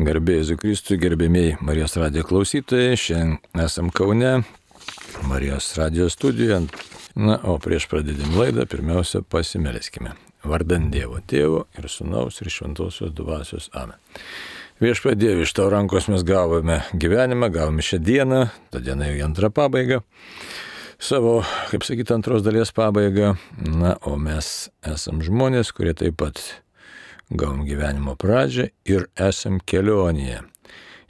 Garbė Jėzui Kristui, gerbėmiai Marijos radijo klausytojai, šiandien esam Kaune, Marijos radijo studijoje. Na, o prieš pradėdami laidą, pirmiausia, pasimelskime. Vardant Dievo Tėvo ir Sūnaus ir Šventosios Dvasios. Amen. Viešpatie Dieve, iš tavo rankos mes gavome gyvenimą, gavome šią dieną, ta diena jau į antrą pabaigą, savo, kaip sakyti, antros dalies pabaigą. Na, o mes esam žmonės, kurie taip pat gavom gyvenimo pradžią ir esam kelionėje.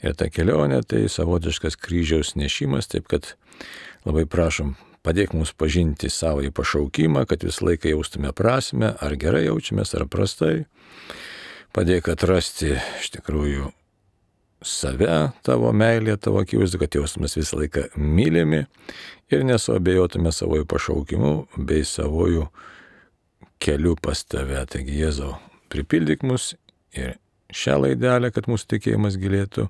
Ir ta kelionė tai savotiškas kryžiaus nešimas, taip kad labai prašom, padėk mums pažinti savo pašaukimą, kad visą laiką jaustume prasmę, ar gerai jaučiamės, ar prastai. Padėk atrasti iš tikrųjų save, tavo meilę, tavo akivaizdu, kad jaustumės visą laiką mylimi ir nesuabejotume savo pašaukimu bei savo keliu pas tave. Taigi, Jėzau, pripildyk mus ir šią laidelę, kad mūsų tikėjimas gilėtų,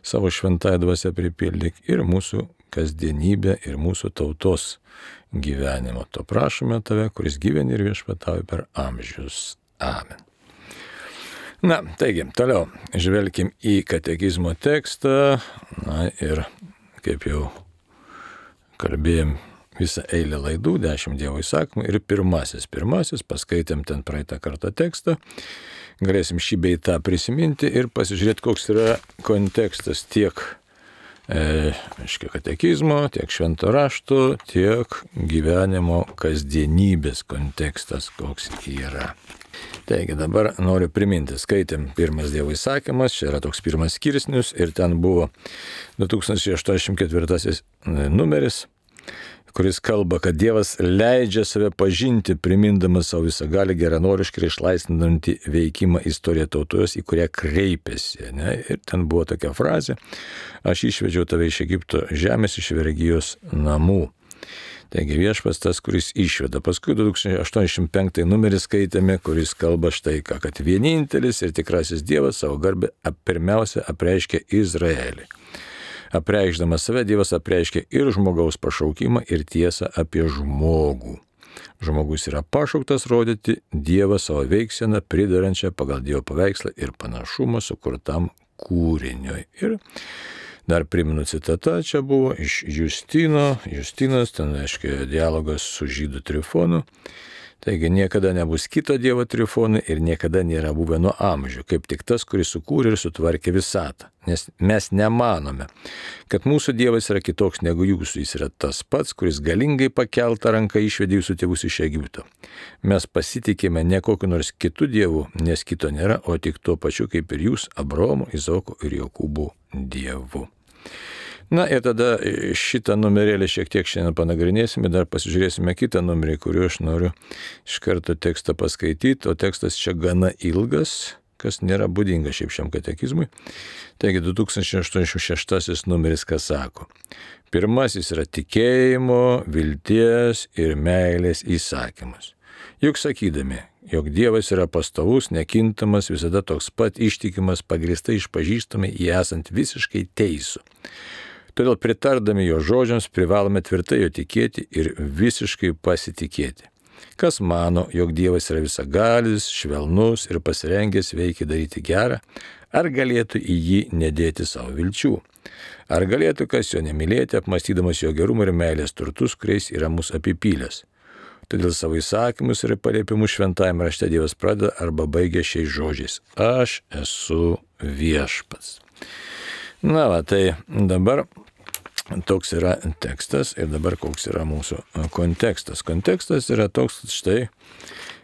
savo šventąją dvasią pripildyk ir mūsų kasdienybę ir mūsų tautos gyvenimo. To prašome tave, kuris gyveni ir viešpatauji per amžius. Amen. Na, taigi, toliau žvelkim į katekizmo tekstą. Na ir kaip jau kalbėjom visą eilę laidų, 10 Dievo įsakymų ir pirmasis, paskaitėm ten praeitą kartą tekstą, galėsim šį bei tą prisiminti ir pasižiūrėti, koks yra kontekstas tiek katekizmo, tiek švento rašto, tiek gyvenimo kasdienybės kontekstas, koks yra. Taigi dabar noriu priminti, skaitėm pirmas Dievo įsakymas, čia yra toks pirmas skirsnius ir ten buvo 2084 numeris, kuris kalba, kad Dievas leidžia save pažinti, primindamas savo visagalį geranoriškai ir išlaisvinantį veikimą istoriją tautos, į kurią kreipėsi. Ne? Ir ten buvo tokia frazė: aš išvedžiau tave iš Egipto žemės, iš vergijos namų. Taigi Viešpats tas, kuris išveda. Paskui 2085 numerį skaitėme, kuris kalba štai ką, kad vienintelis ir tikrasis Dievas savo garbę pirmiausia apreiškia Izraelį. Apreikšdamas save, Dievas apreiškia ir žmogaus pašaukimą, ir tiesą apie žmogų. Žmogus yra pašauktas rodyti Dievą savo veiksieną, pridarančią pagal Dievo paveikslą ir panašumą sukurtam kūriniui. Ir dar primenu citatą, čia buvo iš Justino. Justinas, ten reiškia dialogas su žydų Trifonu. Taigi niekada nebus kito Dievo Trifonui ir niekada nėra buvę nuo amžių, kaip tik tas, kuris sukūrė ir sutvarkė visatą. Nes mes nemanome, kad mūsų Dievas yra kitoks negu jūsų, jis yra tas pats, kuris galingai pakeltą ranką išvedė jūsų tėvus iš Egipto. Mes pasitikime ne kokiu nors kitu Dievu, nes kito nėra, o tik tuo pačiu kaip ir jūs, Abraomo, Izaoko ir Jokūbo Dievu. Na ir tada šitą numerėlį šiek tiek šiandien panagrinėsime, dar pasižiūrėsime kitą numerį, kuriuo aš noriu iš karto tekstą paskaityti, o tekstas čia gana ilgas, kas nėra būdinga šiaip šiam katekizmui. Taigi 2086 numeris, kas sako: pirmasis yra tikėjimo, vilties ir meilės įsakymas. Juk sakydami, jog Dievas yra pastovus, nekintamas, visada toks pat ištikimas, pagrįstai išpažįstami jį esant visiškai teisų. Todėl pritardami jo žodžiams privalome tvirtai jo tikėti ir visiškai pasitikėti. Kas mano, jog Dievas yra visagalis, švelnus ir pasirengęs veikiai daryti gerą, ar galėtų į jį nedėti savo vilčių? Ar galėtų kas jo nemylėti, apmąstydamas jo gerumą ir meilės turtus, kuriais yra mus apipylęs? Todėl savo įsakymus ir paliepimus šventajame rašte Dievas pradeda arba baigia šiais žodžiais: aš esu viešpats. Na va, tai dabar toks yra tekstas ir dabar koks yra mūsų kontekstas. Kontekstas yra toks, štai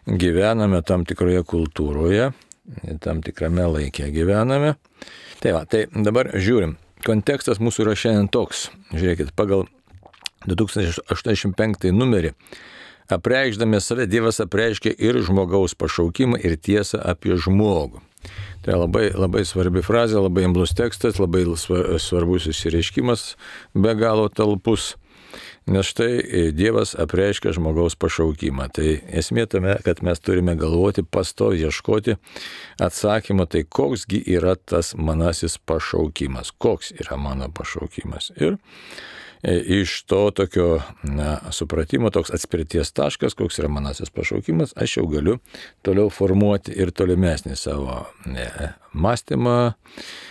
gyvename tam tikroje kultūroje, tam tikrame laike gyvename. Tai va, tai dabar žiūrim. Kontekstas mūsų yra šiandien toks. Žiūrėkit, pagal 2085 numerį apreikšdami save Dievas apreiškia ir žmogaus pašaukimą ir tiesą apie žmogų. Tai labai svarbi frazė, labai imlus tekstas, labai svarbus išsireiškimas, be galo talpus. Nes štai Dievas apreiškia žmogaus pašaukimą. Tai esmė tame, kad mes turime galvoti, pastoviai ieškoti atsakymą, tai koksgi yra tas manasis pašaukimas, koks yra mano pašaukimas. Ir iš to tokio supratimo, toks atspirties taškas, koks yra manasis pašaukimas, aš jau galiu toliau formuoti ir tolimesnį savo mąstymą,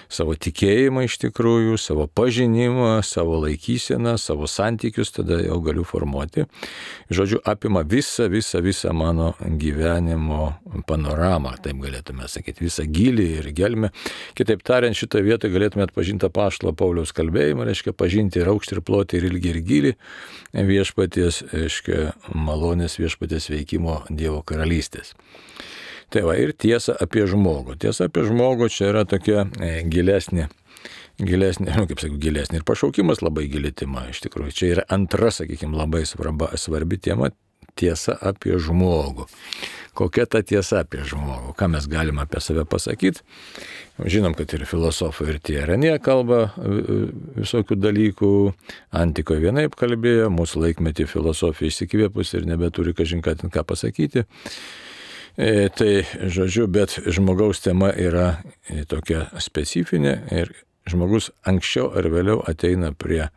savo tikėjimą iš tikrųjų, savo pažinimą, savo laikyseną, savo santykius, tada jau galiu formuoti. Žodžiu, apima visą mano gyvenimo panoramą, taip galėtume sakyti, visą gylį ir gelmę. Kitaip tariant, šitą vietą galėtume atpažinti apaštalo Pauliaus kalbėjimą, reiškia pažinti ir aukštį, ir plotį, ir ilgį, ir gylį viešpaties, reiškia malonės viešpaties veikimo Dievo karalystės. Tai va, ir tiesa apie žmogų. Tiesa apie žmogų čia yra tokia gilesnė, kaip sakau, gilesnė. Ir pašaukimas labai gili tema, iš tikrųjų. Čia yra antra, sakykime, labai svarbi tema - tiesa apie žmogų. Kokia ta tiesa apie žmogų? Ką mes galime apie save pasakyti? Žinom, kad ir filosofai, ir tie Renė kalba visokių dalykų. Antikoje vienaip kalbėjo, mūsų laikmetį filosofija išsikvėpus ir nebeturi kažin ką pasakyti. Tai, žodžiu, bet žmogaus tema yra tokia specifinė ir žmogus anksčiau ar vėliau ateina prie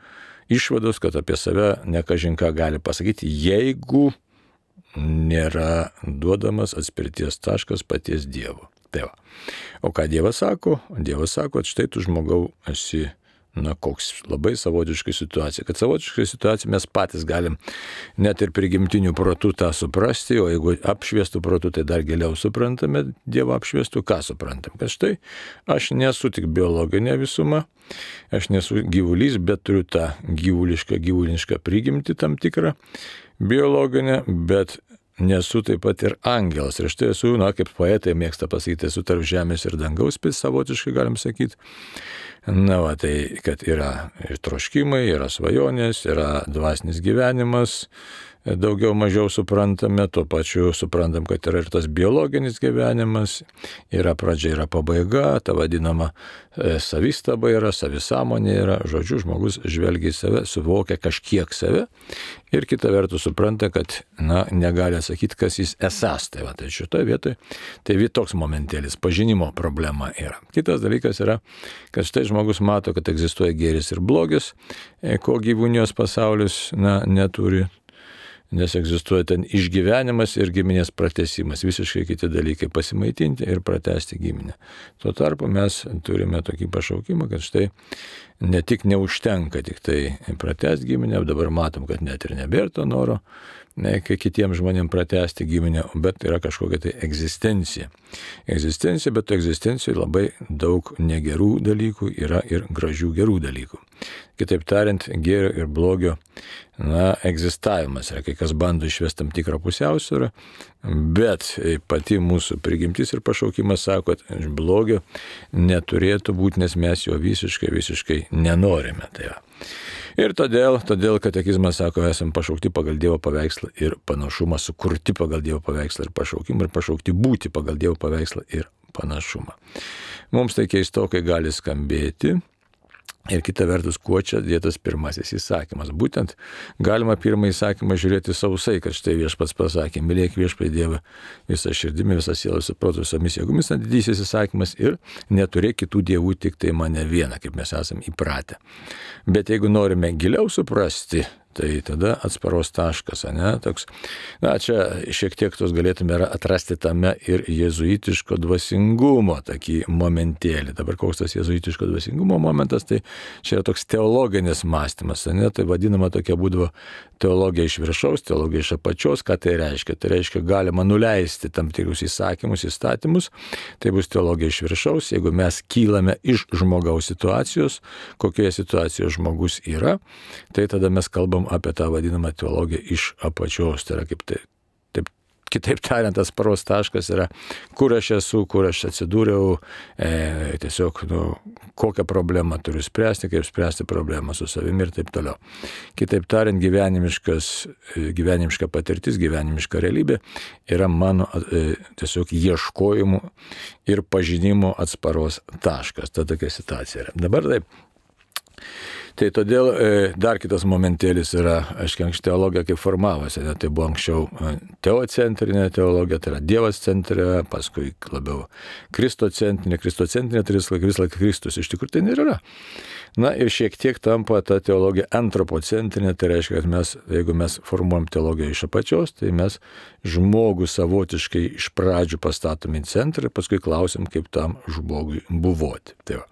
išvados, kad apie save ne kažin ką gali pasakyti, jeigu nėra duodamas atspirties taškas paties Dievo. Tai va. O ką Dievas sako? Dievas sako, kad štai tu žmogau esi, koks labai savotiška situacija. Kad savotiška situacija mes patys galim net ir prigimtinių protų tą suprasti, o jeigu apšviestų protų, tai dar giliau suprantame, Dievo apšviestų, ką suprantam. Kad štai aš nesu tik biologinė visuma, aš nesu gyvulys, bet turiu tą gyvulišką prigimtį tam tikrą biologinę, bet nesu taip pat ir angelas. Ir štai esu, kaip poetai mėgsta pasakyti, esu tarp žemės ir dangaus, savotiškai galim sakyti. Tai kad yra ir troškimai, yra svajonės, yra dvasinis gyvenimas, daugiau mažiau suprantame, tuo pačiu suprantam, kad yra ir tas biologinis gyvenimas, yra pradžia, yra pabaiga, ta vadinama savistaba yra, savisąmonė yra, žodžiu, žmogus žvelgia į save, suvokia kažkiek save ir kita vertus supranta, kad negali atsakyti, kas jis esas. Tai šitoje vietoje, tai toks momentėlis, pažinimo problema yra. Kitas dalykas yra, kad štai žmogus mato, kad egzistuoja gėris ir blogis, ko gyvūnijos pasaulis neturi. Nes egzistuoja ten išgyvenimas ir giminės pratęsimas, visiškai kiti dalykai - pasimaitinti ir pratęsti giminę. Tuo tarpu mes turime tokį pašaukimą, kad štai ne tik neužtenka tik tai pratęsti giminę, dabar matom, kad net ir nebėra to noro, kai kitiems žmonėms pratęsti giminę, bet yra kažkokia tai egzistencija. Egzistencija, bet egzistencijoje labai daug negerų dalykų yra ir gražių gerų dalykų. Kitaip tariant, gėrio ir blogio egzistavimas yra, kai kas bando išvesti tam tikrą pusiausvyrą, bet pati mūsų prigimtis ir pašaukimas sako, kad blogio neturėtų būti, nes mes jo visiškai nenorime. Ir todėl katekizmas sako, esame pašaukti pagal Dievo paveikslą ir panašumą, sukurti pagal Dievo paveikslą ir pašaukimą, ir pašaukti būti pagal Dievo paveikslą ir panašumą. Mums tai keistokai gali skambėti. Ir kita vertus, kuo čia dėtas pirmasis įsakymas. Būtent galima pirmą įsakymą žiūrėti sausai, kad štai Viešpats pasakė, mylėk Viešpatį Dievą visą širdimi, visą sielą, visą protą, visomis jėgomis, didysis įsakymas ir neturėk kitų dievų, tik tai mane vieną, kaip mes esame įpratę. Bet jeigu norime giliau suprasti, tai tada atsparos taškas, toks, čia šiek tiek tos galėtume atrasti tame ir jėzuitiško dvasingumo tokį momentėlį. Dabar koks tas jėzuitiško dvasingumo momentas, tai čia yra toks teologinis mąstymas, tai vadinama tokia būdavo teologija iš viršaus, teologija iš apačios. Ką tai reiškia? Tai reiškia, galima nuleisti tam tikrus įsakymus, įstatymus, tai bus teologija iš viršaus, jeigu mes kylame iš žmogaus situacijos, kokioje situacijoje žmogus yra, tai tada mes kalbam apie tą vadinamą teologiją iš apačios. Tai yra kitaip tariant, tas paros taškas yra, kur aš esu, kur aš atsidūriau, tiesiog, kokią problemą turiu spręsti, kaip spręsti problemą su savimi ir taip toliau. Kitaip tariant, gyvenimiška patirtis, gyvenimiška realybė yra mano tiesiog ieškojimų ir pažinimo atsparos taškas. Ta tokia situacija yra. Dabar taip. Tai todėl dar kitas momentėlis yra, aiškiai, teologija kaip formavosi, tai buvo anksčiau teocentrinė teologija, tai yra Dievas centre, paskui labiau kristocentrinė, tai vis laik Kristus, iš tikrųjų tai nėra. Na ir šiek tiek tampa ta teologija antropocentrinė, tai reiškia, kad jeigu mes formuojam teologiją iš apačios, tai mes žmogų savotiškai iš pradžių pastatom į centrą ir paskui klausim, kaip tam žmogui buvoti. Tai va.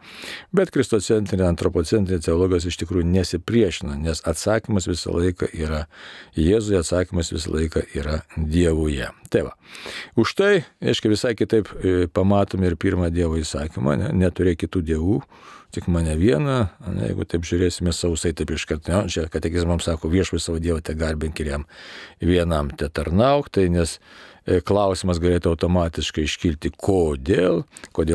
Bet kristocentrinė, antropocentrinė teologijos iš tikrųjų nesipriešina, nes atsakymas visą laiką yra Jėzuje, atsakymas visą laiką yra Dievuje. Tai va. Už tai, aiškiai, visai kitaip pamatome ir pirmą Dievo įsakymą, neturėk kitų dievų, tik mane vieną, jeigu taip žiūrėsime sausai, taip iškart, čia katekizmams sako, viešpats savo Dievą te garbink ir jam vienam te tarnauk, tai nes klausimas galėtų automatiškai iškilti, kodėl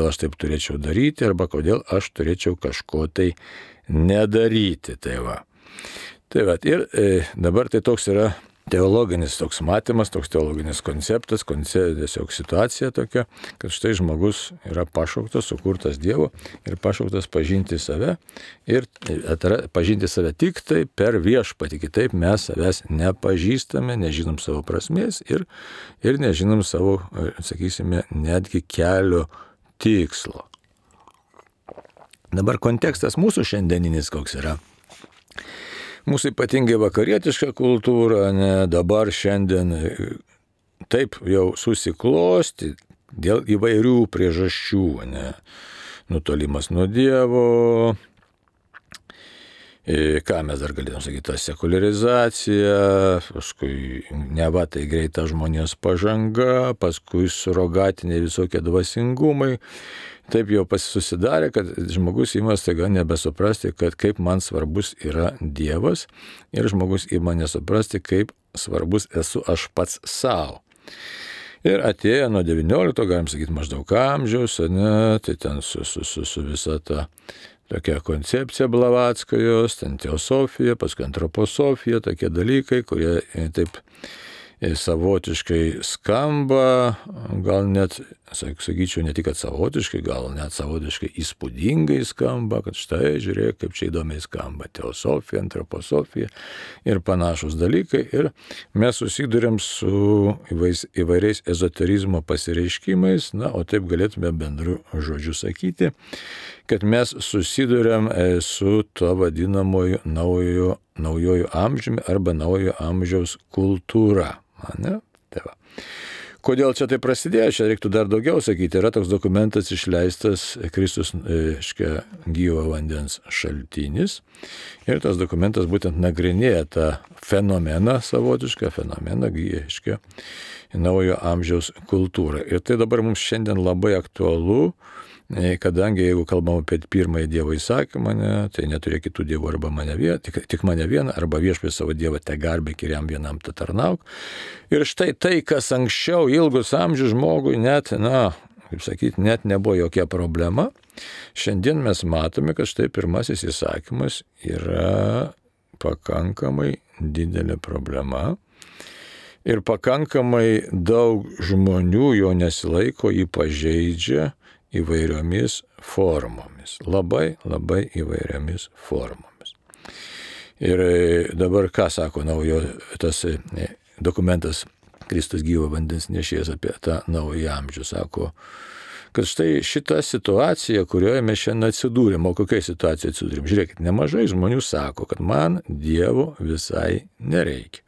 aš taip turėčiau daryti, arba kodėl aš turėčiau kažko tai nedaryti. Tai va. Ir dabar tai toks yra teologinis toks matymas, toks teologinis konceptas, tiesiog situacija tokia, kad štai žmogus yra pašauktas, sukurtas Dievo ir pašauktas pažinti save ir pažinti save tik tai per viešpatį, kitaip mes savęs nepažįstame, nežinom savo prasmės ir nežinom savo, sakysime, netgi kelio tikslo. Dabar kontekstas mūsų šiandieninis koks yra. Mūsų ypatingai vakarietiška kultūra, dabar šiandien taip jau susiklosti dėl įvairių priežasčių, nutolimas nuo Dievo, ką mes dar galėtume sakyti, ta sekuliarizacija, paskui neva tai greita žmonijos pažanga, paskui surogatiniai visokie dvasingumai. Taip jau susidarė, kad žmogus ima staiga nebesuprasti, kad kaip man svarbus yra Dievas ir žmogus ima nesuprasti, kaip svarbus esu aš pats savo. Ir atėjo nuo 19, galim sakyti, maždaug amžiaus, tai ten su visa ta tokia koncepcija Blavatskajos, ten teosofija, paskui antroposofija, tokie dalykai, kurie taip savotiškai skamba, gal net, sakyčiau, ne tik kad savotiškai, gal net savotiškai įspūdingai skamba, kad štai, žiūrėk, kaip čia įdomiai skamba teosofija, antroposofija ir panašus dalykai. Ir mes susidurėm su įvairiais ezoterizmo pasireiškimais, o taip galėtume bendru žodžiu sakyti, kad mes susidurėm su to vadinamoju naujojo amžiumi arba naujojo amžiaus kultūra. Tai va. Kodėl čia tai prasidėjo? Čia reiktų dar daugiau sakyti. Yra toks dokumentas išleistas Kristus gyvo vandens šaltinis. Ir tas dokumentas būtent nagrinėja tą fenomeną, savotišką fenomeną, naujo amžiaus kultūrą. Ir tai dabar mums šiandien labai aktualu, kadangi jeigu kalbam apie pirmąjį Dievo įsakymą, tai neturėk kitų dievų arba tik mane vieną, arba viešpats savo Dievą te garbink ir jam vienam te tarnauk. Ir štai tai, kas anksčiau ilgus amžius žmogui net nebuvo jokia problema, šiandien mes matome, kad štai pirmasis įsakymas yra pakankamai didelė problema ir pakankamai daug žmonių jo nesilaiko, jį pažeidžia įvairiomis formomis. Labai įvairiomis formomis. Ir dabar ką sako tas dokumentas Kristus gyvo vandens nešėjas apie tą naują amžių? Sako, kad štai šita situacija, kurioje mes šiandien atsidūrėm, o kokiai situacijai atsidūrėm? Žiūrėkit, nemažai žmonių sako, kad man Dievo visai nereikia.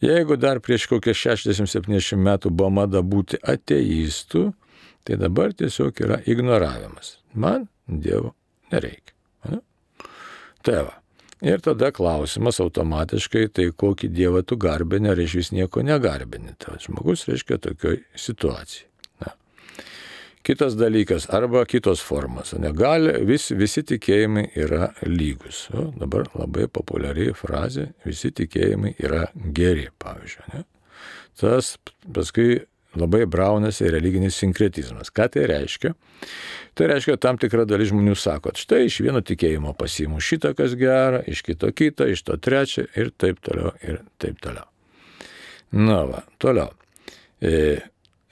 Jeigu dar prieš kokią 60-70 metų buvo mada būti ateistų, tai dabar tiesiog yra ignoravimas. Man Dievo nereikia. Tai va. Ir tada klausimas automatiškai, tai kokį Dievą tu garbini, ar iš vis nieko negarbini. Tai žmogus reiškia tokioj situacijai. Kitas dalykas, arba kitos formos. Visi tikėjimai yra lygus. Dabar labai populiari frazė, visi tikėjimai yra geri, pavyzdžiui. Tas paskui labai braunasi religinis sinkretizmas. Ką tai reiškia? Tai reiškia, tam tikra dalis žmonių sako, štai iš vieno tikėjimo pasiimu šitą, kas gera, iš kito kitą, iš to trečią ir taip toliau, ir taip toliau. Na va, toliau.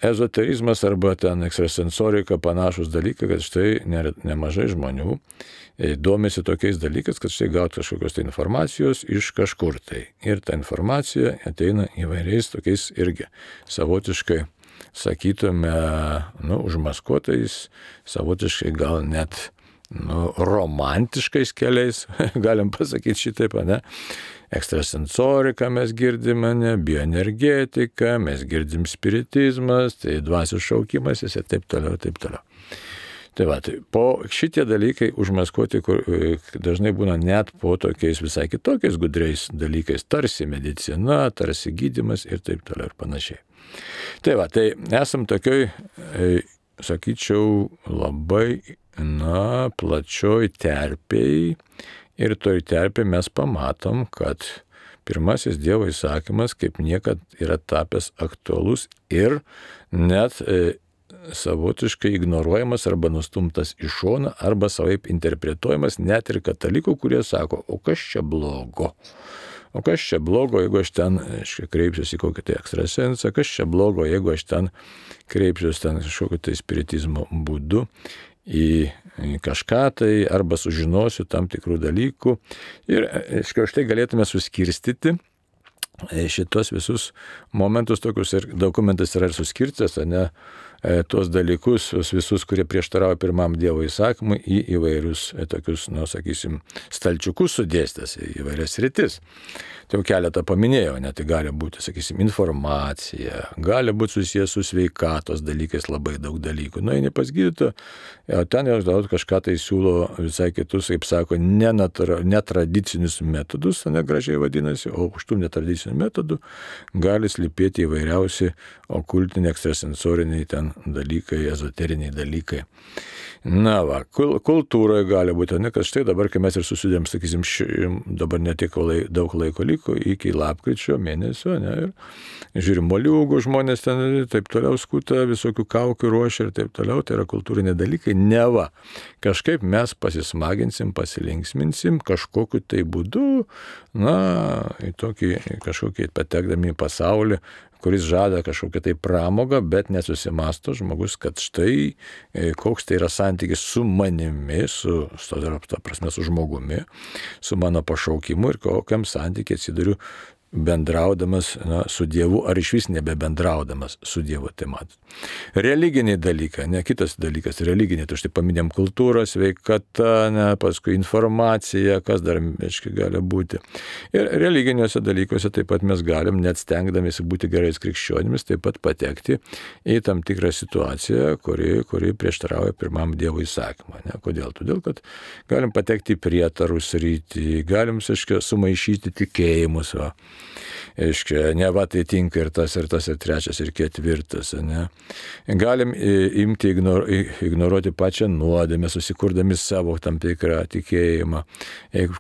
ezoterizmas arba ten ekstrasensorika panašus dalykai, kad štai nemažai žmonių domisi tokiais dalykais, kad štai gauti kažkokios tai informacijos iš kažkur tai. Ir ta informacija ateina įvairiais tokiais irgi savotiškai, sakytume, užmaskuotais, savotiškai gal net romantiškais keliais, galim pasakyti šitaip, ne? Ekstrasensoriką mes girdime, ne? Bioenergetika, mes girdim spiritizmas, tai dvasios šaukimas ir taip toliau, taip toliau. Tai va, tai po šitie dalykai užmaskuoti dažnai būna net po tokiais visai kitokiais gudriais dalykais, tarsi medicina, tarsi gydymas ir taip toliau ir panašiai. Tai va, tai esam tokioj, sakyčiau, labai, plačioj terpėj ir toj terpėj mes pamatom, kad pirmasis Dievo įsakymas kaip niekad yra tapęs aktualus ir net savotiškai ignoruojamas arba nustumtas į šoną arba savaip interpretuojamas net ir katalikų, kurie sako, o kas čia blogo? O kas čia blogo, jeigu aš ten kreipsiuosi į kokį tai ekstrasensą, kas čia blogo, jeigu aš ten kreipsiuosi ten kažkokio tai spiritizmo būdu į kažką tai arba sužinosiu tam tikrų dalykų. Ir štai galėtume suskirstyti šitos visus momentus tokius ir dokumentas yra ir suskirtas, ne, tuos dalykus, visus, kurie prieštarauja pirmam Dievo įsakymui į įvairius tokius, sakysim, stalčiukus sudėstęs į įvairias sritis. Tai jau keletą paminėjau, net tai gali būti, sakysim, informacija, gali būti susijęs su sveikatos dalykais labai daug dalykų. Eini pas gydytoją, ten jau kažką tai siūlo visai kitus, kaip sako, netradicinius metodus, negražiai vadinasi, o už tų netradicinių metodų gali slypėti įvairiausi okultiniai, ekstrasensoriniai ten dalykai, ezoteriniai dalykai. Na va, kultūroje gali būti, kad štai dabar, kai mes ir susidėm, sakysim, dabar netiek daug laiko liko iki lapkričio mėnesio, ne, ir žiūrim moliūgų žmonės ten taip toliau skuta, visokių kaukių ruošia ir taip toliau, tai yra kultūriniai dalykai, neva. Kažkaip mes pasismaginsim, pasilinksminsim kažkokiu tai būdu, į tokį kažkokį patekdami į pasaulį, kuris žada kažkokią tai pramogą, bet nesusimasto žmogus, kad štai koks tai yra santykis su manimi, su žmogumi, su mano pašaukimu ir kokiam santykiai atsiduriu bendraudamas su Dievu ar išvis nebebendraudamas su Dievu. Tai matot. Religiniai dalykai, ne kitas dalykas, religiniai, tai štai paminėm kultūrą, sveikata, paskui informacija, kas dar gali būti. Ir religiniuose dalykuose taip pat mes galim, net stengdamėsi būti gerais krikščionimis, taip pat patekti į tam tikrą situaciją, kuri prieštarauja pirmam Dievo įsakymą. Kodėl? Todėl, kad galim patekti į prietarų sritį, galim, sumaišyti tikėjimus. Neva tai tinka ir tas, ir trečias, ir ketvirtas. Ne? Galim imti ignoruoti pačią nuodėmę, susikurdami savo tam tikrą tikėjimą,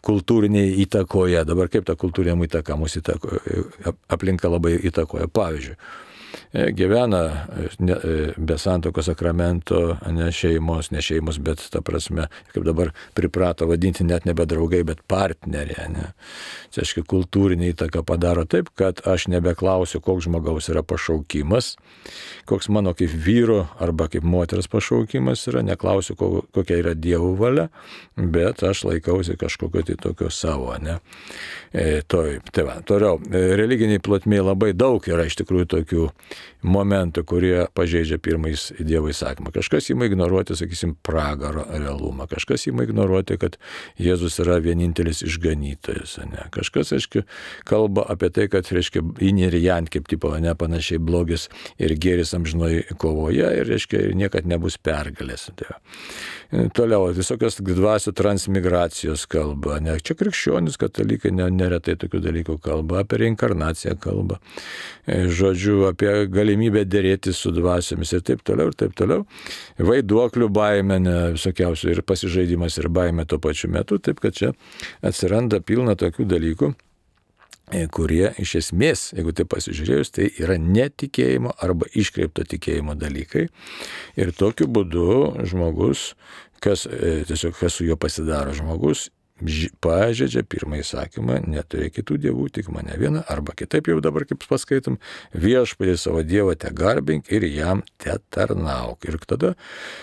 kultūriniai įtakoje. Dabar kaip ta kultūrinė įtaka mūsų aplinka labai įtakoja. Pavyzdžiui, gyvena be santuokos sakramento, ne šeimos, bet ta prasme, kaip dabar priprato vadinti net nebe draugai, bet partneriai. Ne? Tai aiškiai, kultūrinė įtaka padaro taip, kad aš nebeklausiu, koks žmogaus yra pašaukimas, koks mano kaip vyro arba kaip moters pašaukimas yra, neklausiu, kokia yra Dievo valia, bet aš laikausi kažkokio tai tokio savo. Ne? Tai va, toliau, religiniai plotmėje labai daug yra iš tikrųjų tokių momentų, kurie pažeidžia pirmąjį Dievo įsakymą. Kažkas ima ignoruoti, sakysim, pragaro realumą. Kažkas ima ignoruoti, kad Jėzus yra vienintelis išganytojas. Ne? Kažkas, aiškiai, kalba apie tai, kad, reiškia, in ir jan, kaip tipo, ne, panašiai blogis ir gėris amžinoj kovoje ir, reiškia, niekad nebus pergalės. Tai toliau, visokios dvasių transmigracijos kalba. Ne? Čia krikščionis, katalikai neretai tokių dalykų kalba, apie reinkarnaciją kalba. Žodžiu, apie galimybę dėrėtis su dvasiomis ir taip toliau, ir taip toliau. Vaiduoklių baimė, visokiausių ir pasižaidimas ir baimė tuo pačiu metu, taip kad čia atsiranda pilna tokių dalykų, kurie iš esmės, jeigu tai pasižiūrėjus, tai yra netikėjimo arba iškreipto tikėjimo dalykai. Ir tokiu būdu žmogus, kas su juo pasidaro, žmogus pažeidžia pirmąjį įsakymą, neturėk kitų dievų, tik mane vieną, arba kitaip jau dabar, kaip paskaitom, viešpatį savo dievą te garbink ir jam te tarnauk. Ir tada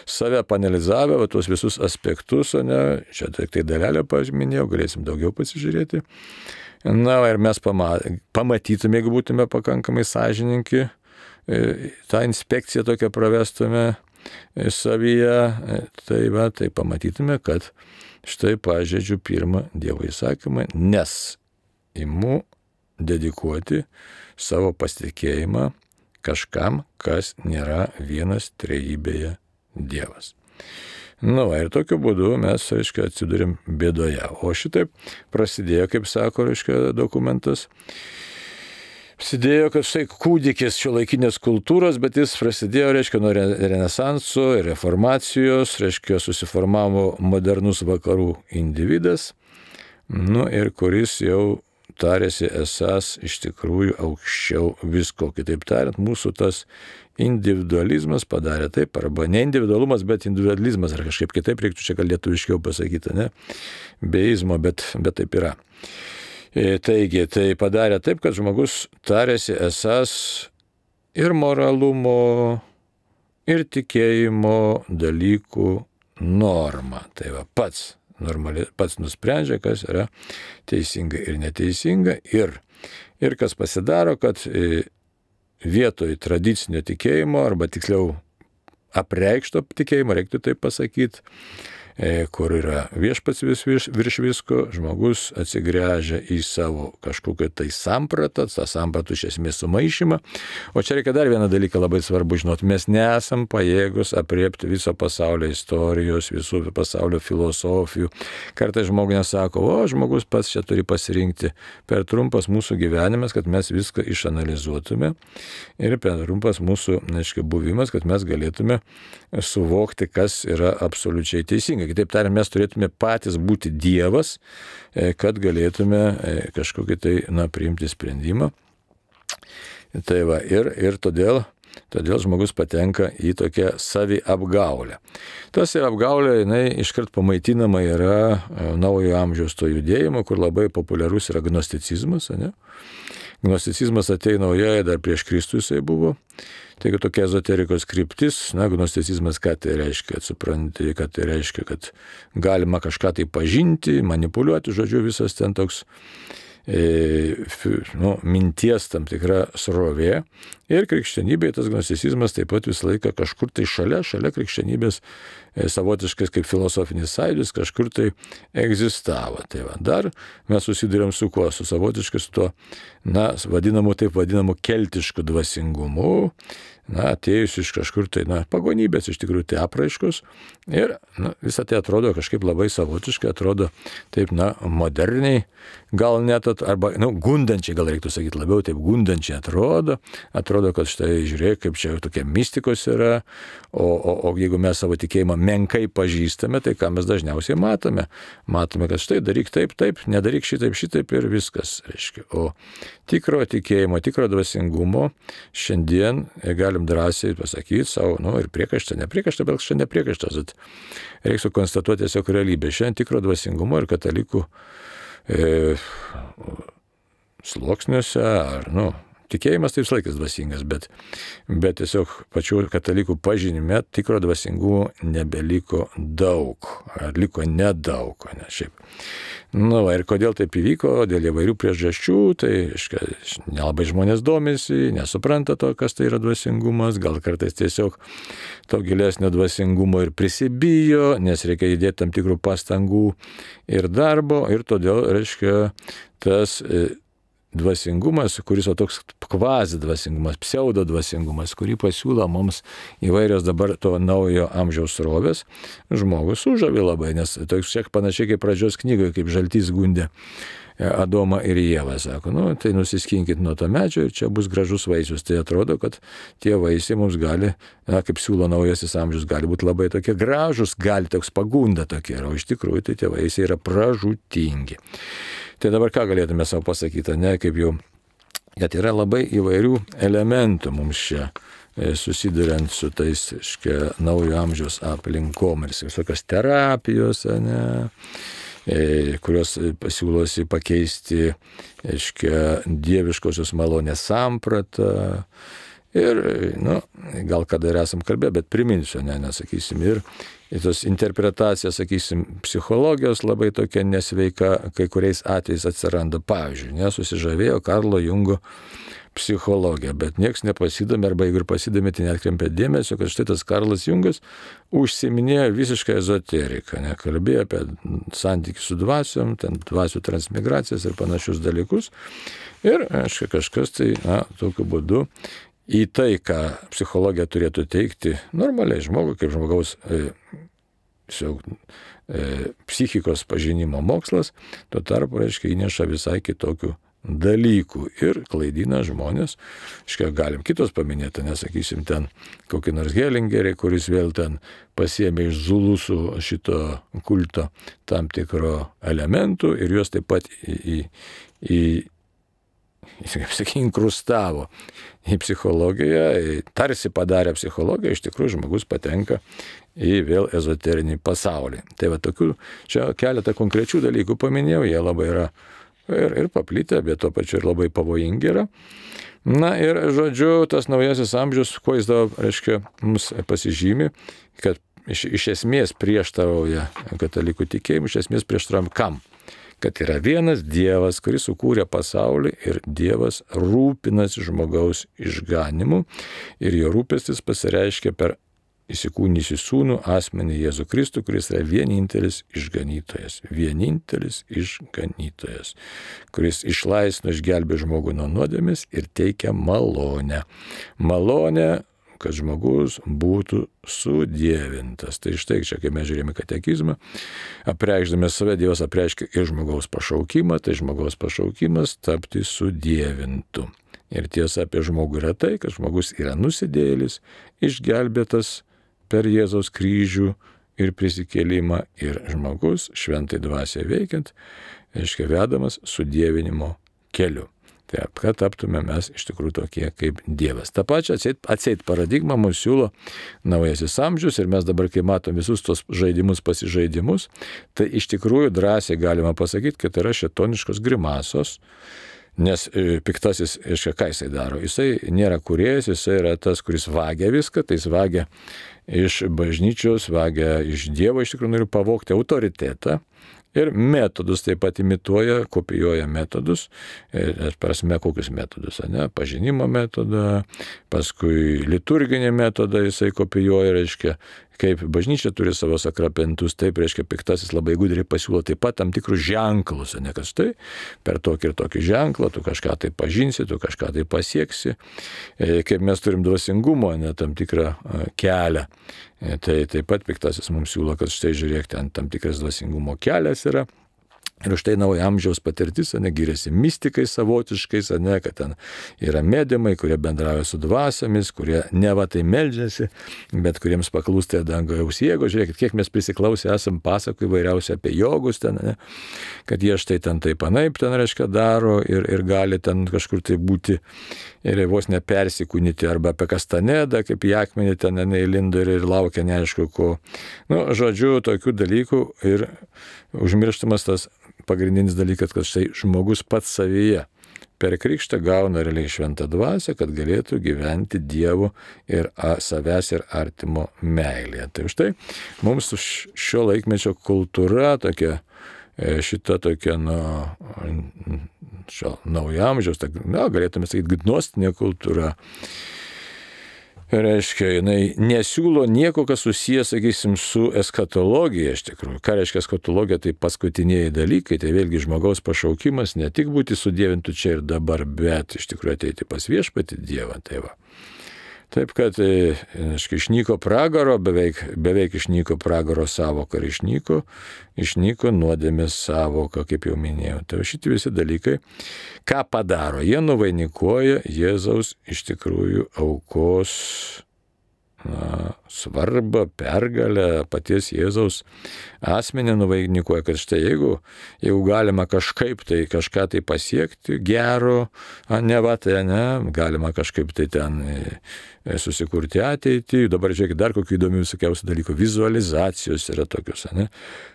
save panalizavę, tuos visus aspektus, ne, čia tik tai dalelę paminėjau, galėsim daugiau pasižiūrėti. Na, ir mes pamatytume, jeigu būtume pakankamai sąžininki, tą inspekciją tokią pravestume savyje, tai pamatytume, kad štai pažeidžiu pirmą Dievo įsakymą, nes imu dedikuoti savo pasitikėjimą kažkam, kas nėra vienas trejybėje Dievas. Ir tokiu būdu mes, atsidūrėm bėdoje. O šitaip prasidėjo, kaip sako, dokumentas. Prasidėjo, kad štai kūdikis šiuolaikinės kultūros, bet jis prasidėjo, nuo renesanso ir reformacijos, susiformavo modernus vakarų individas, ir kuris jau tarėsi esas iš tikrųjų aukščiau visko. Kitaip tariant, mūsų tas individualizmas padarė taip, arba ne individualumas, bet individualizmas, ar kažkaip kitaip reiktų čia gal lietuviškiau pasakyti, ne? Beizmo, bet taip yra. Taigi, tai padarė taip, kad žmogus tarėsi esas ir moralumo, ir tikėjimo dalykų norma. Tai pats nusprendžia, kas yra teisinga ir neteisinga. Ir kas pasidaro, kad vietoj tradicinio tikėjimo, arba tiksliau apreikšto tikėjimo, reiktų taip pasakyti, kur yra viešpats virš visko, žmogus atsigręžia į savo kažkokią tai sampratą, tą sampratą iš esmės sumaišymą. O čia reikia dar vieną dalyką labai svarbu žinoti. Mes nesam pajėgus apriepti viso pasaulio istorijos, visų pasaulio filosofijų. Kartais žmogus sako, žmogus pats čia turi pasirinkti. Per trumpas mūsų gyvenimas, kad mes viską išanalizuotume, ir per trumpas mūsų buvimas, kad mes galėtume suvokti, kas yra absoliučiai teisinga. Kitaip tariant, mes turėtume patys būti Dievas, kad galėtume kažkokį tai, priimti sprendimą. Tai ir todėl žmogus patenka į tokią saviapgaulę. Tas apgaulė, jinai iškart pamaitinama yra naujojo amžiaus to judėjimo, kur labai populiarus yra gnosticizmas, ne? Gnosticizmas atėjo naujoje, dar prieš Kristų jisai buvo. Taigi tokia ezoterikos kryptis, gnosticizmas, ką tai reiškia, supranti, kad tai reiškia, kad galima kažką tai pažinti, manipuliuoti, žodžiu, visas ten toks minties tam tikra srovė. Ir krikščionybėje tas gnosticizmas taip pat visą laiką kažkur tai šalia krikščionybės savotiškas kaip filosofinis sąjūdis kažkur tai egzistavo. Tai dar mes susidurėm su kuo? Su savotiškai su tuo, vadinamu keltišku dvasingumu, atėjus iš kažkur tai, pagonybės iš tikrųjų tai apraiškos. Ir visą tai atrodo kažkaip labai savotiškai, atrodo taip, moderniai, gal net, arba, gundančiai, gal reiktų sakyti labiau, taip gundančiai atrodo, kad štai žiūrėk, kaip čia tokie mistikos yra, o jeigu mes savo tikėjimą menkai pažįstame, tai ką mes dažniausiai matome? Matome, kad štai daryk taip, nedaryk šitaip ir viskas, reiškia. O tikro tikėjimo, tikro dvasingumo šiandien galim drąsiai pasakyti savo, ir priekaištą, nepriekaištą, bet šiandien nepriekaištas. Reikia konstatuoti tiesiog realybę. Šiandien tikro dvasingumo ir katalikų sluoksniuose, ar, tikėjimas taip laikas dvasingas, bet tiesiog pačių katalikų pažinime tikro dvasingumo nebeliko daug, ar liko nedaug, ne šiaip. Ir kodėl taip įvyko, dėl įvairių priežasčių, tai nelabai žmonės domisi, nesupranta to, kas tai yra dvasingumas, gal kartais tiesiog to gilesnio dvasingumo ir prisibijo, nes reikia įdėti tam tikrų pastangų ir darbo, ir todėl, tas dvasingumas, kuris toks kvazi dvasingumas, pseudo dvasingumas, kurį pasiūlo mums įvairios dabar to naujo amžiaus srovės, žmogus sužavi labai, nes toks šiek panašiai kaip pradžios knygoje, kaip žaltys gundė Adomą ir Ievą, sako, tai nusiskinkit nuo to medžio ir čia bus gražus vaisius. Tai atrodo, kad tie vaisiai mums gali, kaip siūlo naujasis amžius, gali būti labai tokie gražus, gali toks pagunda tokie, o iš tikrųjų tai tie vaisiai yra pražūtingi. Tai dabar ką galėtume savo pasakyti, kaip jau, kad yra labai įvairių elementų mums čia susiduriant su tais naujo amžiaus aplinkom ir visokios terapijos, kurios pasiūlosi pakeisti, dieviškosios malonės sampratą. Ir, gal kada ir esam kalbėję, bet priminsiu, nesakysim, ir tos interpretacijos, sakysim, psichologijos labai tokia nesveika, kai kuriais atvejais atsiranda. Pavyzdžiui, nesusižavėjo Karlo Jungo psichologija, bet nieks nepasidomė, arba jeigu ir pasidomė, tai neatkreipė dėmesio, kad štai tas Karlas Jungas užsiminėjo visišką ezoteriką, kalbėjo apie santykių su dvasiom, ten dvasių transmigracijas ir panašius dalykus. Ir, kažkas tai, tokiu būdu į tai, ką psichologija turėtų teikti normaliai žmogui, kaip žmogaus psichikos pažinimo mokslas, tuo tarpu, įneša visai kitokių dalykų ir klaidina žmonės. Galim kitos paminėti, nesakysim, ten kokį nors Hellingerį, kuris vėl ten pasiėmė iš zulusų šito kulto tam tikro elementų ir juos taip pat inkrustavo į psichologiją, tarsi padarė psichologiją, iš tikrųjų žmogus patenka į vėl ezoterinį pasaulį. Tai va tokių, čia keletą konkrečių dalykų paminėjau, jie labai yra ir paplitę, bet tuo pačiu ir labai pavojingi yra. Na ir žodžiu, tas naujasis amžius, kuo jis dabar, mums pasižymi, kad iš esmės prieštarauja katalikų tikėjimu, iš esmės prieštaravim kam? Kad yra vienas Dievas, kuris sukūrė pasaulį ir Dievas rūpinasi žmogaus išganimu ir jo rūpestis pasireiškia per įsikūnijusį sūnų asmenį Jėzų Kristų, kuris yra vienintelis išganytojas, kuris išlaisvino, išgelbė žmogų nuo nuodėmės ir teikia malonę. Malonę, kad žmogus būtų sudievintas. Tai štai čia, kai mes žiūrėjome katekizmą, apreikšdami save, Dievas apreiškia ir žmogaus pašaukimą, tai žmogaus pašaukimas tapti sudievintu. Ir tiesa apie žmogų yra tai, kad žmogus yra nusidėjėlis, išgelbėtas per Jėzaus kryžių ir prisikėlimą ir žmogus šventai dvasiai veikiant, vedamas sudievinimo keliu. Taip, kad taptume mes iš tikrųjų tokie kaip Dievas. Ta pačia atseit paradigma mums siūlo naujasis amžius ir mes dabar, kai matom visus tos pasižaidimus, tai iš tikrųjų drąsiai galima pasakyti, kad yra šėtoniškos grimasos, nes piktasis, ką jisai daro? Jisai nėra kūrėjas, jisai yra tas, kuris vagia viską, tai jis vagia iš bažnyčios, vagia iš Dievo, iš tikrųjų nori pavogti autoritetą. Ir metodus taip pat imituoja, kopijuoja metodus, prasme kokius metodus, pažinimo metodą, paskui liturginį metodą jisai kopijuoja, kaip bažnyčia turi savo sakramentus, taip, piktasis labai gudriai pasiūlo taip pat tam tikrus ženklus, kad štai per tokį ir tokį ženklą tu kažką tai pažinsi, tu kažką tai pasieksi, kaip mes turim dvasingumo, tam tikrą kelią. Tai taip pat piktasis mums siūlo, kad štai žiūrėk, ten tam tikras dvasingumo kelias yra. Ir štai naujo amžiaus patirtis, giriasi mistikais savotiškais, kad ten yra mediumai, kurie bendrauja su dvasiomis, kurie neva tai meldžiasi, bet kuriems paklūsta dangaus jėgos. Žiūrėkit, kiek mes prisiklausę esam pasakų įvairiausia apie jogus ten, kad jie štai ten taip anaip ten daro ir gali ten kažkur tai būti ir vos nepersikūnyti, arba apie Kastanedą, kaip į akmenį ten įlindo ir laukia neaišku ko. Žodžiu, tokių dalykų ir užmirštamas tas pagrindinis dalykas, kad štai žmogus pats savyje per krikštą gauna realiai šventą dvasią, kad galėtų gyventi Dievo ir savęs ir artimo meilėje. Tai štai mums šio laikmečio kultūra tokia, šita tokia, šio naujamžiaus, galėtume sakyti, gnostinė kultūra, jinai nesiūlo nieko, kas susijęs, sakysim, su eskatologija iš tikrųjų. Ką reiškia eskatologija? Tai paskutiniai dalykai, tai vėlgi žmogaus pašaukimas ne tik būti sudievintų čia ir dabar, bet iš tikrųjų ateiti pas viešpatį Dievą. Tai va. Taip, kad išnyko pragaro, beveik išnyko pragaro savoka ir išnyko nuodėmės savoka, kaip jau minėjau. Tai šitie visi dalykai, ką padaro? Jie nuvainikuoja Jėzaus iš tikrųjų aukos svarbą, pergalę, paties Jėzaus asmenį nuvainikuoja, kad štai jeigu galima kažkaip tai kažką tai pasiekti gero, galima kažkaip tai ten susikurti ateitį. Dabar žiūrėkit, dar kokių įdomių visokiausių dalykų. Vizualizacijos yra tokios, ne?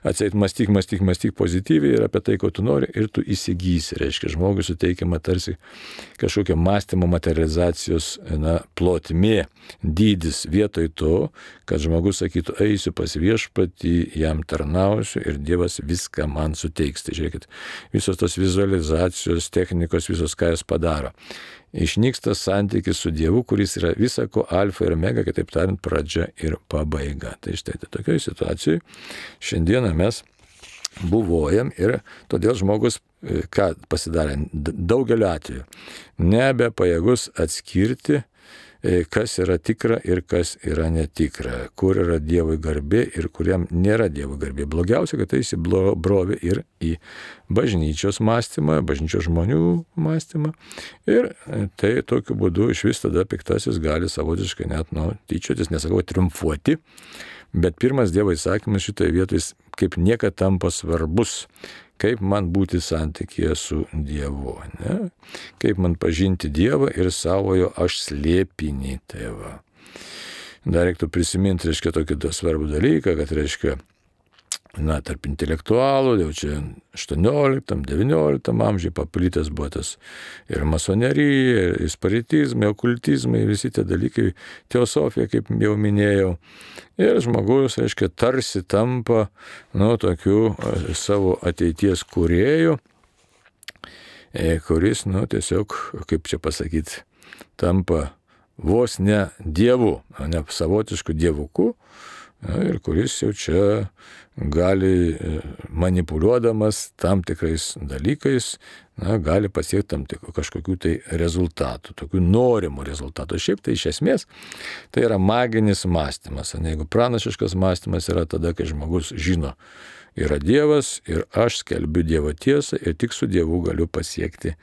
Atseit mąstyk pozityviai ir apie tai, ko tu nori, ir tu įsigysi. Reiškia, žmogui suteikiama tarsi kažkokia mąstymo materializacijos plotmė, dydis vietoj to, kad žmogus sakytų, eisiu pas viešpatį, jam tarnausiu ir Dievas viską man suteiks. Tai žiūrėkit, visos tos vizualizacijos technikos, visos ką jis padaro. Išnyksta santykis su Dievu, kuris yra visako alfa ir omega, kitaip tariant, pradžia ir pabaiga. Tai štai tokioje situacijoje šiandieną mes buvojam ir todėl žmogus, ką pasidarė, daugeliu atveju nebepajėgus atskirti, kas yra tikra ir kas yra netikra, kur yra Dievui garbė ir kuriam nėra Dievo garbė. Blogiausia, kad tai įsibrovė ir į bažnyčios mąstymą, bažnyčios žmonių mąstymą ir tai tokiu būdu iš vis tada piktasis gali savotiškai net tyčiotis, nesakau triumfuoti, bet pirmas Dievo įsakymas šitoje vietoje kaip niekad tampa svarbus. Kaip man būti santykyje su Dievu, ne? Kaip man pažinti Dievą ir savojo aš slėpinį tėvą. Dar reiktų prisiminti, reiškia, tokį svarbų dalyką, kad, reiškia, tarp intelektualų, jau čia 18-19 amžiuje paplitęs buvo tas ir masonerija, ir spiritizmai, okultizmai, visi tie dalykai, teosofija, kaip jau minėjau. Ir žmogus, reiškia, tarsi tampa, tokiu savo ateities kūrėju, kuris, tiesiog, kaip čia pasakyti, tampa vos ne Dievu, ne savotišku dievuku, ir kuris jau čia gali manipuliuodamas tam tikrais dalykais, gali pasiekti tam kažkokių tai rezultatų, tokių norimų rezultatų. Šiaip tai iš esmės tai yra maginis mąstymas. Jeigu pranašiškas mąstymas yra tada, kai žmogus žino, yra Dievas ir aš skelbiu Dievo tiesą ir tik su Dievu galiu pasiekti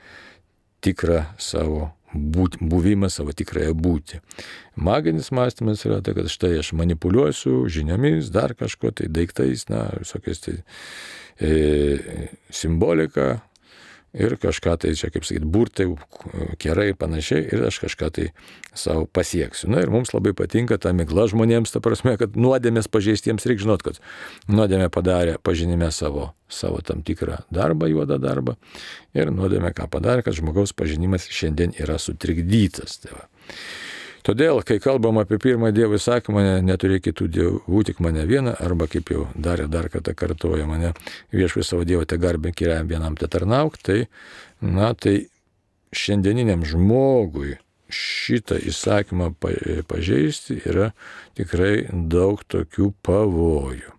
tikrą savo buvimą, savo tikrąją būtį. Maginis mąstymas yra tai, kad štai aš manipuliuosiu žiniomis, dar kažko, tai daiktais, visokiais tai simbolika ir kažką tai čia, kaip sakyti, burtai, kerai ir panašiai ir aš kažką tai savo pasieksiu. Ir mums labai patinka ta migla žmonėms, ta prasme, kad nuodėmės pažeistiems reikia žinot, kad nuodėmė padarė pažinime savo tam tikrą darbą, juodą darbą ir nuodėmė ką padarė, kad žmogaus pažinimas šiandien yra sutrikdytas. Todėl, kai kalbam apie pirmą Dievo įsakymą, neturėk kitų dievų, tik mane vieną, arba kaip jau dar kartą kartoja mane, viešpats savo Dievą te garbink ir jam vienam te tarnauk, tai šiandieniniam žmogui šitą įsakymą pažeisti yra tikrai daug tokių pavojų.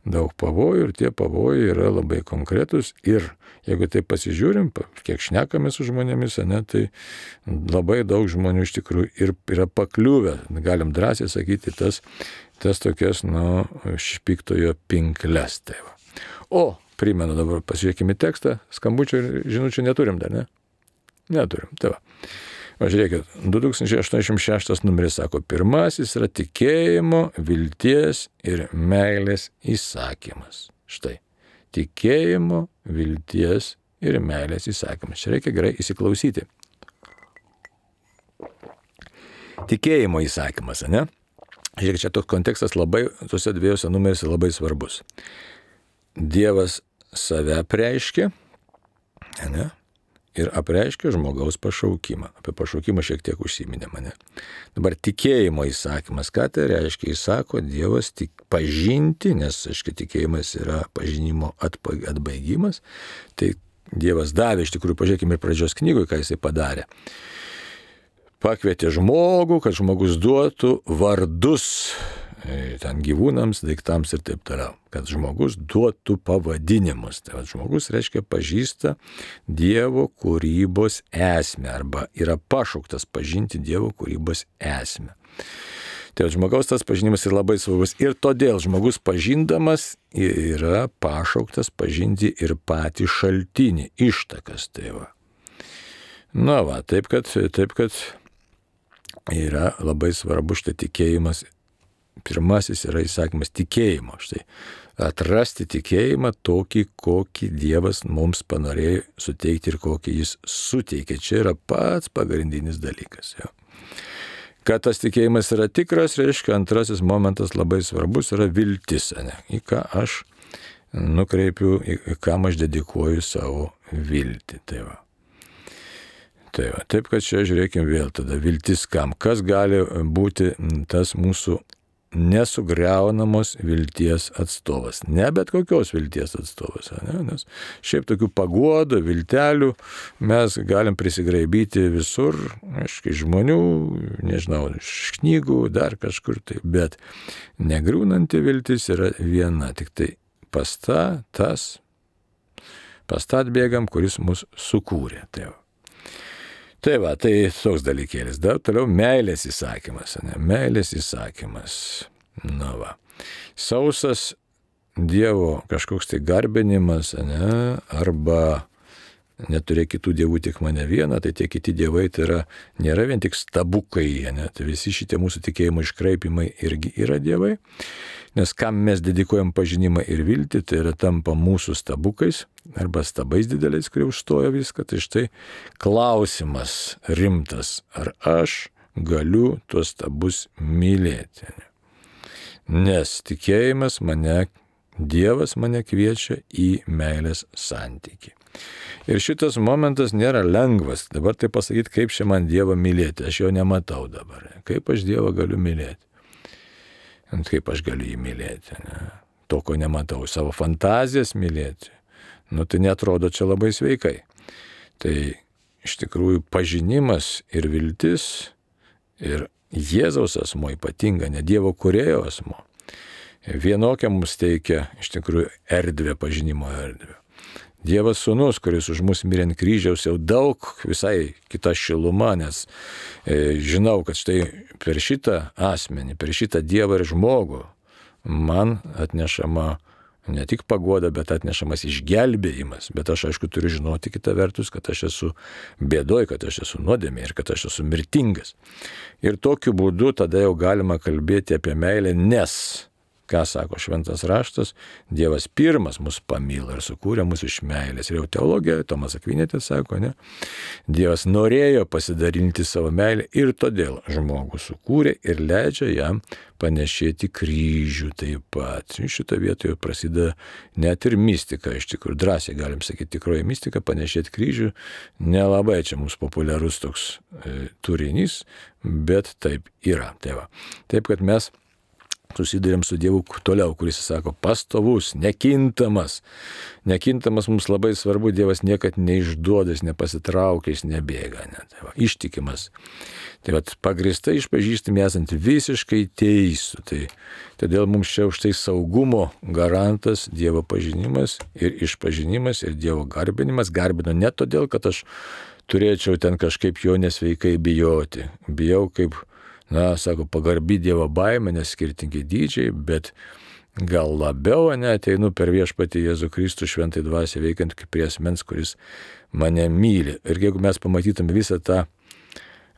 Daug pavojų ir tie pavojai yra labai konkretus ir jeigu tai pasižiūrim, kiek šnekame su žmonėmis, tai labai daug žmonių iš tikrųjų ir yra pakliuvę, galim drąsiai sakyti, tas tokias, piktojo pinkles. O, primenu dabar, pasižiūrėkime tekstą, skambučių ir žinučių neturim dar, ne? Neturim, tai va. Žiūrėkit, 2086 numeris sako, pirmasis yra tikėjimo, vilties ir meilės įsakymas. Štai, tikėjimo, vilties ir meilės įsakymas. Čia reikia gerai įsiklausyti. Tikėjimo įsakymas, ne? Žiūrėkit, čia toks kontekstas labai, tuose dviejose numerise labai svarbus. Dievas save apreiškia, ne? Ir apreiškia žmogaus pašaukimą. Apie pašaukimą šiek tiek užsiminė mane. Dabar tikėjimo įsakymas. Ką tai reiškia? Jis sako, Dievas pažinti, nes, aiškiai, tikėjimas yra pažinimo atbaigimas. Tai Dievas davė, iš tikrųjų, pažiūrėkime ir pradžios knygoje, ką jisai padarė. Pakvietė žmogų, kad žmogus duotų vardus ten gyvūnams, daiktams ir taip toliau. Kad žmogus duotų pavadinimus. Tai žmogus, reiškia, pažįsta Dievo kūrybos esmę arba yra pašauktas pažinti Dievo kūrybos esmę. Tai žmogaus tas pažinimas yra labai svarbus ir todėl žmogus pažindamas yra pašauktas pažinti ir patį šaltinį, ištakas. Tai va. Taip kad yra labai svarbu štai tikėjimas. Pirmasis yra įsakymas tikėjimo. Štai atrasti tikėjimą tokį, kokį Dievas mums panorėjo suteikti ir kokį jis suteikė. Čia yra pats pagrindinis dalykas. Jo. Kad tas tikėjimas yra tikras, reiškia, antrasis momentas labai svarbus yra viltis, ne? Į ką aš nukreipiu, į kam aš dedikuoju savo viltį. Tai va. Taip, kad čia žiūrėkime vėl tada viltis kam. Kas gali būti tas mūsų nesugriaunamos vilties atstovas. Ne bet kokios vilties atstovas. Ne? Nes šiaip tokių paguodų, viltelių mes galim prisigraibyti visur, aiškiai, žmonių, nežinau, iš knygų, dar kažkur tai. Bet negriūnanti viltis yra viena, tik tai pastat bėgam, kuris mus sukūrė. Tai va, tai toks dalykėlis. Dar toliau meilės įsakymas. Ne? Meilės įsakymas. Na va. Sausas Dievo kažkoks tai garbinimas, ne? Arba neturėk kitų dievų, tik mane vieną, tai tie kiti dievai tai nėra vien tik stabukai. Ne? Tai visi šitie mūsų tikėjimo iškraipimai irgi yra dievai. Nes kam mes dedikuojam pažinimą ir viltį, tai yra tampa mūsų stabukais arba stabais dideliais, kurie užstoja viską. Tai štai klausimas rimtas, ar aš galiu tuos stabus mylėti. Nes tikėjimas Dievas mane kviečia į meilės santykį. Ir šitas momentas nėra lengvas. Dabar tai pasakyti, kaip čia man Dievą mylėti, aš jo nematau dabar. Kaip aš Dievą galiu mylėti? Kaip aš galiu jį mylėti, ne? To, ko nematau, savo fantazijas mylėti, tai netrodo čia labai sveikai. Tai iš tikrųjų pažinimas ir viltis ir Jėzaus asmo ypatinga, ne Dievo kūrėjo asmo, vienokia mums teikia iš tikrųjų erdvę, pažinimo erdvę. Dievas sūnus, kuris už mus mirė ant kryžiaus, jau daug visai kita šiluma, nes žinau, kad štai per šitą asmenį, per šitą Dievą ir žmogų man atnešama ne tik paguoda, bet atnešamas išgelbėjimas. Bet aš aišku turiu žinoti kitą vertus, kad aš esu bėdoj, kad aš esu nuodėmė ir kad aš esu mirtingas. Ir tokiu būdu tada jau galima kalbėti apie meilę, nes ką sako Šventas raštas, Dievas pirmas mus pamilo ir sukūrė mus iš meilės. Ir jau teologija, Tomas Akvinėtis sako, ne? Dievas norėjo pasidalinti savo meilę ir todėl žmogų sukūrė ir leidžia jam panešėti kryžių taip pat. Šitą vietoje prasideda net ir mistika, iš tikrųjų drąsiai galim sakyti, tikroji mistika, panešėti kryžių. Nelabai čia mums populiarus toks turinys, bet taip yra. Taip, kad mes susidurėm su Dievu toliau, kuris sako pastovus, nekintamas. Nekintamas mums labai svarbu, Dievas niekad neišduoda, jis nepasitraukia, jis nebėga. Ištikimas. Tai pagrįstai išpažįstami esant visiškai teisų. Todėl mums čia už tai saugumo garantas Dievo pažinimas ir išpažinimas ir Dievo garbinimas. Garbino ne todėl, kad aš turėčiau ten kažkaip jo nesveikai bijoti. Bijau kaip sako, pagarbi Dievo baimė, nes skirtingi dydžiai, bet gal labiau ateinu per viešpatį Jėzų Kristų šventai dvasią veikiant kaip prie asmens, kuris mane myli. Ir jeigu mes pamatytume visą tą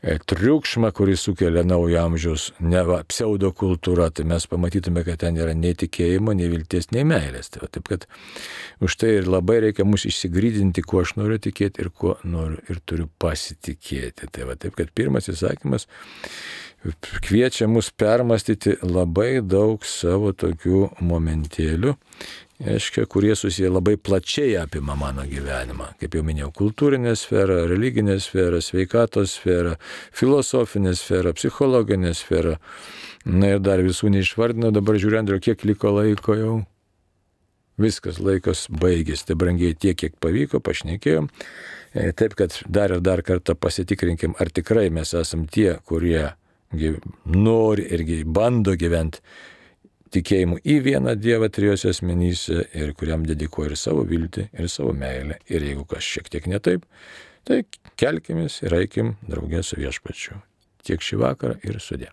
triukšmą, kurį sukelia naujo amžiaus pseudokultūra, tai mes pamatytume, kad ten yra nei tikėjimo, nei vilties, nei meilės. Taip kad už tai ir labai reikia mus išsigrydinti, kuo aš noriu tikėti ir kuo noriu ir turiu pasitikėti. Taip kad pirmas įsakymas kviečia mus permastyti labai daug savo tokių momentėlių, kurie susiję labai plačiai apima mano gyvenimą. Kaip jau minėjau, kultūrinė sfera, religinė sfera, sveikatos sfera, filosofinė sfera, psichologinė sfera. Ir dar visų neišvardinau, dabar žiūrėjau, Andriau, kiek liko laiko jau. Viskas, laikas baigėsi, tai brangiai tiek, kiek pavyko, pašnekėjom. Taip, kad dar ir dar kartą pasitikrinkim, ar tikrai mes esam tie, kurie nori irgi bando gyventi tikėjimu į vieną Dievą trijose asmenyse ir kuriam dedikuoja ir savo viltį, ir savo meilę. Ir jeigu kas šiek tiek ne taip, tai kelkimės ir eikim draugė su viešpačiu. Tiek šį vakarą ir sudie.